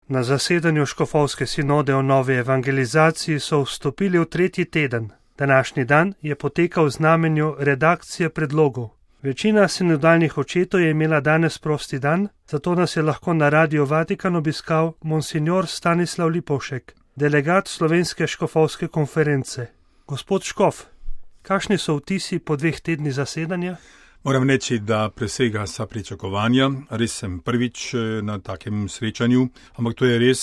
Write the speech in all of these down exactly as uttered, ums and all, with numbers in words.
Na zasedanju škofovske sinode o novi evangelizaciji so vstopili v tretji teden. Današnji dan je potekal v znamenju redakcije predlogov. Večina sinodalnih očetov je imela danes prosti dan, zato nas je lahko na Radiu Vatikan obiskal monsignor Stanislav Lipovšek, delegat Slovenske škofovske konference. Gospod Škof, kakšni so vtisi po dveh tednih zasedanja? Moram reči, da presega vsa pričakovanja. Res sem prvič na takem srečanju, ampak to je res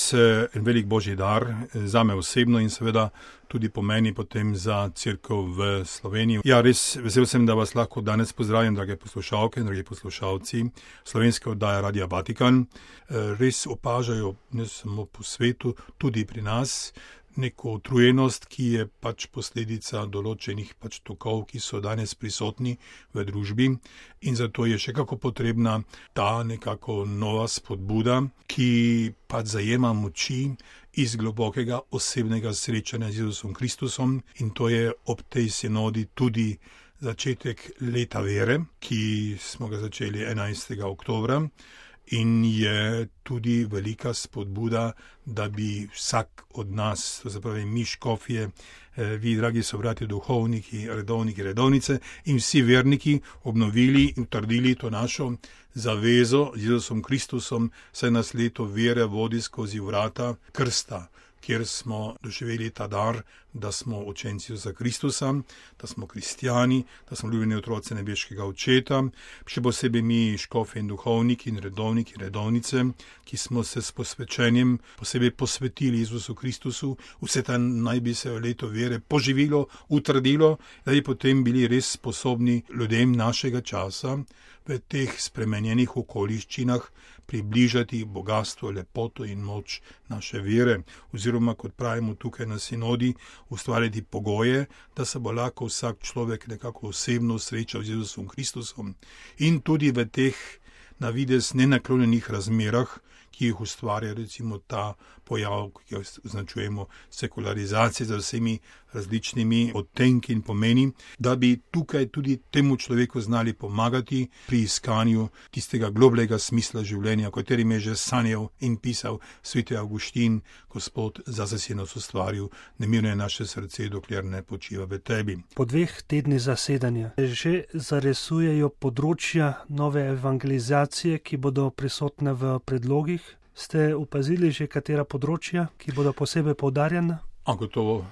en velik božji dar zame osebno in seveda tudi pomeni potem za cerkev v Sloveniji. Ja, res vesel sem, da vas lahko danes pozdravim, drage poslušalke in dragi poslušalci slovenske oddaje Radia Vatikan. Res opažajo ne samo po svetu, tudi pri nas, neko utrujenost, ki je pač posledica določenih pač tokov, ki so danes prisotni v družbi in zato je še kako potrebna ta nekako nova spodbuda, ki pač zajema moči iz globokega osebnega srečanja z Jezusom Kristusom in to je ob tej sinodi tudi začetek leta vere, ki smo ga začeli enajstega oktobra. In je tudi velika spodbuda, da bi vsak od nas, to se pravi mi škofje, vi dragi sobrati duhovniki, redovniki, redovnice in vsi verniki obnovili in utrdili to našo zavezo z Jezusom Kristusom, saj nas leto vere vodi skozi vrata krsta, kjer smo doživeli ta dar, da smo učenci Jezusa Kristusa, da smo kristjani, da smo ljubljeni otroci nebeškega očeta, še posebej mi škofi in duhovniki in redovniki, redovnice, ki smo se s posvečenjem posebej posvetili Jezusu Kristusu, vse ta naj bi se leto vere poživilo, utrdilo, da bi potem bili res sposobni ljudem našega časa v teh spremenjenih okoliščinah približati bogatstvo, lepoto in moč naše vere, oziroma, kot pravimo tukaj na sinodi, ustvariti pogoje, da se bo lahko vsak človek nekako osebno srečal z Jezusom Kristusom in tudi v teh na videz nenaklonjenih razmerah, ki jih ustvarja recimo ta pojav, ki jo označujemo sekularizacije za vsemi različnimi odtenki in pomeni, da bi tukaj tudi temu človeku znali pomagati pri iskanju tistega globlega smisla življenja, o katerem je že sanjal in pisal sveti Avguštin, Gospod zase si nas ustvaril, nemirno je naše srce, dokler ne počiva v tebi. Po dveh tednih zasedanja že zaresujejo področja nove evangelizacije, ki bodo prisotne v predlogih. Ste opazili že katera področja, ki bodo posebej poudarjena? A gotovo,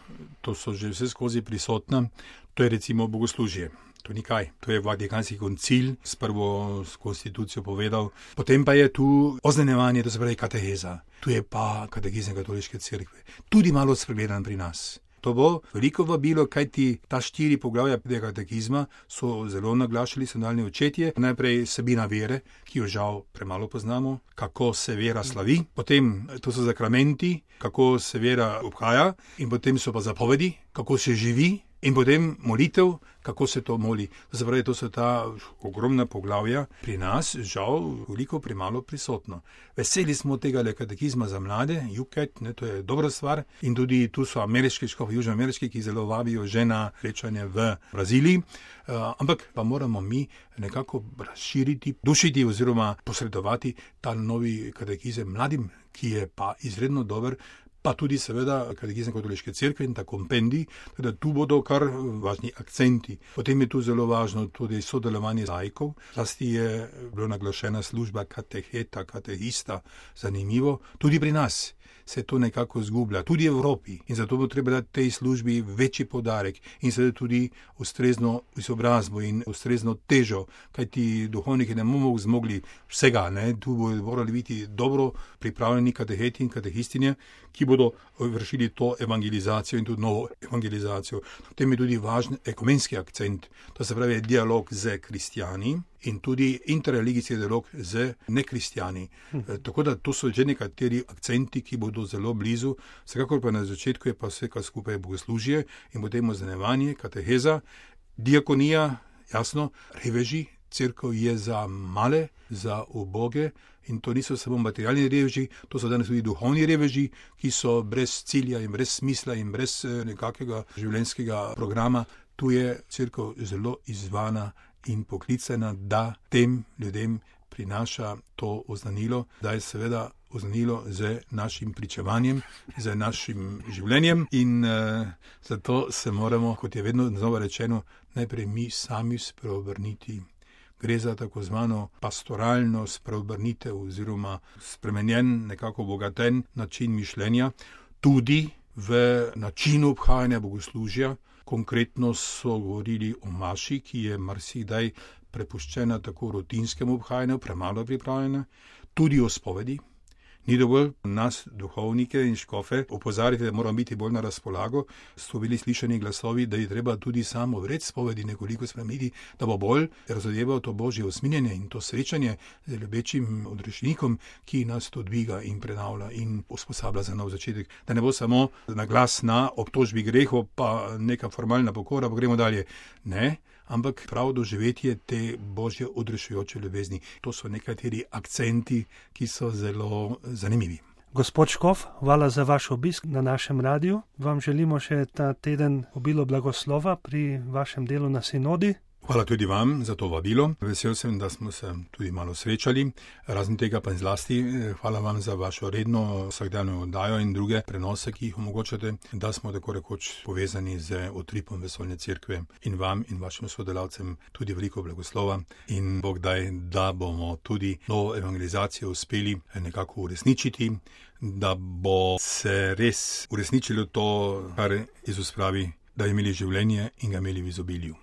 to so že vse skozi prisotna. To je recimo bogoslužje. To ni kaj. To je Vatikanski koncil s prvo konstitucijo povedal. Potem pa je tu oznanjevanje, to se pravi kateheza. Tu je pa katekizem katoliške cerkve. Tudi malo spregledan pri nas. To bo veliko vabilo, kajti ta štiri poglavja tega katekizma so zelo naglašali sinodalni očetje. Najprej vsebina vere, ki jo žal premalo poznamo, kako se vera slavi, potem to so zakramenti, kako se vera obhaja in potem so pa zapovedi, kako se živi in potem molitev, kako se to moli. To se pravi, to so ta ogromna poglavja. Pri nas žal veliko premalo prisotno. Veseli smo tega katekizma za mlade, U C A T, ne, to je dobra stvar. In tudi tu so ameriški škofi, južnoameriški, ki zelo vabijo že na srečanje v Braziliji. Uh, ampak pa moramo mi nekako razširiti, dušiti oziroma posredovati ta novi katekizem mladim, ki je pa izredno dober, pa tudi seveda katekizem katoliške cerkve in ta kompendij, da tu bodo kar važni akcenti. Potem je tu zelo važno tudi sodelovanje laikov. Zlasti je bila naglašena služba kateheta, katehista, zanimivo. Tudi pri nas se to nekako zgublja, tudi v Evropi. In zato bo treba dati tej službi večji poudarek in seveda tudi ustrezno izobrazbo in ustrezno težo, kajti duhovniki ne bomo zmogli vsega, ne? Tu bodo morali biti dobro pripravljeni kateheti in katehistinje, ki bodo vršili to evangelizacijo in tudi novo evangelizacijo. Potem je tudi važen ekumenski akcent, to se pravi dialog z kristjani in tudi interreligijski dialog z nekristjani. Hm. E, tako da to so že nekateri akcenti, ki bodo zelo blizu. Vsekakor pa na začetku je pa vse kar skupaj bogoslužje in potem oznanjevanje, kateheza, diakonija, jasno, reveži. Cerkev je za male, za uboge in to niso samo materialni reveži, to so danes tudi duhovni reveži, ki so brez cilja in brez smisla in brez nekakega življenjskega programa. Tu je cerkev zelo izzvana in poklicana, da tem ljudem prinaša to oznanilo, da je seveda oznanilo z našim pričevanjem, z našim življenjem in uh, zato se moramo, kot je vedno znova rečeno, najprej mi sami spreobrniti. Gre za tako zvano pastoralno spreobrnitev oziroma spremenjen, nekako obogaten način mišljenja, tudi v načinu obhajanja bogoslužja. Konkretno so govorili o maši, ki je marsikdaj prepuščena tako rutinskemu obhajanju, premalo pripravljena, tudi o spovedi. Ni dovolj nas, duhovnike in škofe, opozarjati, da moramo biti bolj na razpolago. So bili slišani glasovi, da je treba tudi samo vred spovedi nekoliko spremeniti, da bo bolj razodeval to božje usminjenje in to srečanje z ljubečim odrešenikom, ki nas to dviga in prenavlja in usposablja za nov začetek. Da ne bo samo na glas na obtožbi grehov, pa neka formalna pokora, pa gremo dalje. Ne. Ampak prav doživetje te božje odrešujoče ljubezni. To so nekateri akcenti, ki so zelo zanimivi. Gospod Škof, hvala za vaš obisk na našem radiju. Vam želimo še ta teden obilo blagoslova pri vašem delu na sinodi. Hvala tudi vam za to vabilo. Vesel sem, da smo se tudi malo srečali. Razen tega pa in zlasti hvala vam za vašo redno vsakdanjo oddajo in druge prenose, ki jih omogočate, da smo tako rekoč povezani z utripom vesoljne cerkve in vam in vašim sodelavcem tudi veliko blagoslova in Bog daj, da bomo tudi novo evangelizacijo uspeli nekako uresničiti, da bo se res uresničilo to, kar Jezus pravi, da imeli življenje in ga imeli v izobilju.